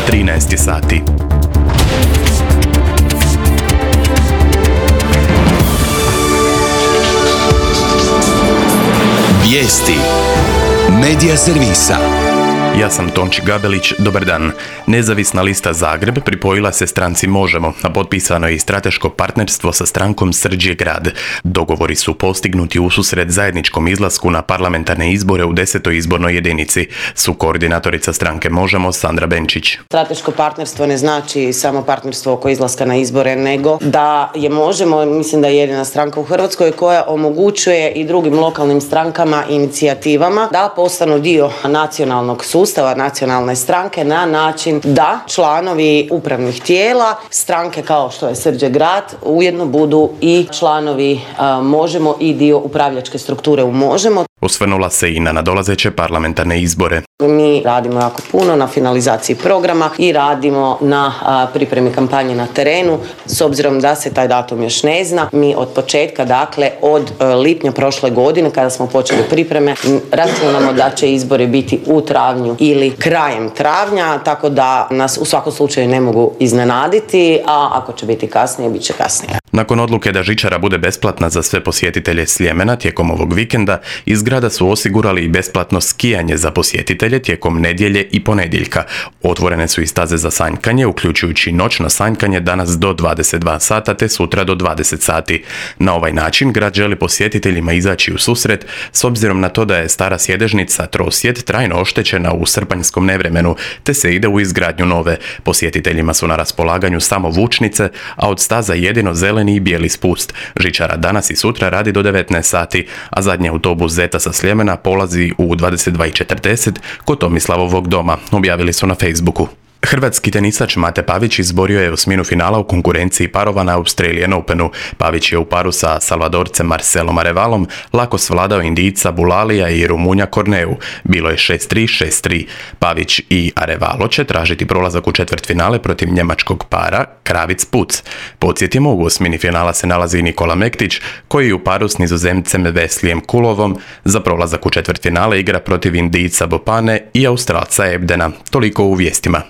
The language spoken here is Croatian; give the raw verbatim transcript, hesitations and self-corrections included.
trinaest sati. Vijesti Medija servisa. Ja sam Tonči Gabelić, dobar dan. Nezavisna lista Zagreb pripojila se stranci Možemo, a potpisano je i strateško partnerstvo sa strankom Srđ je grad. Dogovori su postignuti ususret zajedničkom izlasku na parlamentarne izbore u desetoj izbornoj jedinici, su koordinatorica stranke Možemo Sandra Benčić. Strateško partnerstvo ne znači samo partnerstvo oko izlaska na izbore, nego da je Možemo, mislim da je jedina stranka u Hrvatskoj koja omogućuje i drugim lokalnim strankama i inicijativama da postanu dio nacionalnog sustava, nacionalne stranke na način da članovi upravnih tijela stranke kao što je Srđ je grad ujedno budu i članovi a, Možemo i dio upravljačke strukture u Možemo. Osvrnula se i na nadolazeće parlamentarne izbore. Mi radimo jako puno na finalizaciji programa i radimo na a, pripremi kampanje na terenu. S obzirom da se taj datum još ne zna, mi od početka, dakle od a, lipnja prošle godine kada smo počeli pripreme, računamo da će izbori biti u travnju ili krajem travnja, tako da nas u svakom slučaju ne mogu iznenaditi, a ako će biti kasnije, bit će kasnije. Nakon odluke da žičara bude besplatna za sve posjetitelje Sljemena tijekom ovog vikenda, iz grada su osigurali i besplatno skijanje za posjetitelje tijekom nedjelje i ponedjeljka. Otvorene su i staze za sanjkanje, uključujući noćno sanjkanje danas do dvadeset dva sata te sutra do dvadeset sati. Na ovaj način grad želi posjetiteljima izaći u susret s obzirom na to da je stara sjedežnica Trosjed trajno oštećena u srpanjskom nevremenu, te se ide u izgradnju nove. Posjetiteljima su na raspolaganju samo vučnice, a od staza jedino zeleni i bijeli spust. Žičara danas i sutra radi do devetnaest sati, a zadnji autobus Zeta sa Sljemena polazi u dvadeset dva i četrdeset kod Tomislavovog doma, objavili su na Facebooku. Hrvatski tenisač Mate Pavić izborio je osminu finala u konkurenciji parova na Australian Openu. Pavić je u paru sa Salvadorcem Marcelom Arevalom lako svladao Indijca Bulalija i Rumunja Korneu. Bilo je šest tri šest tri. Pavić i Arevalo će tražiti prolazak u četvrtfinale protiv njemačkog para Kravic Puc. Podsjetimo, u osmini finala se nalazi Nikola Mektić, koji u paru s Nizozemcem Veslijem Kulovom za prolazak u četvrtfinale igra protiv Indijca Bopane i Australca Ebdena. Toliko u vijestima.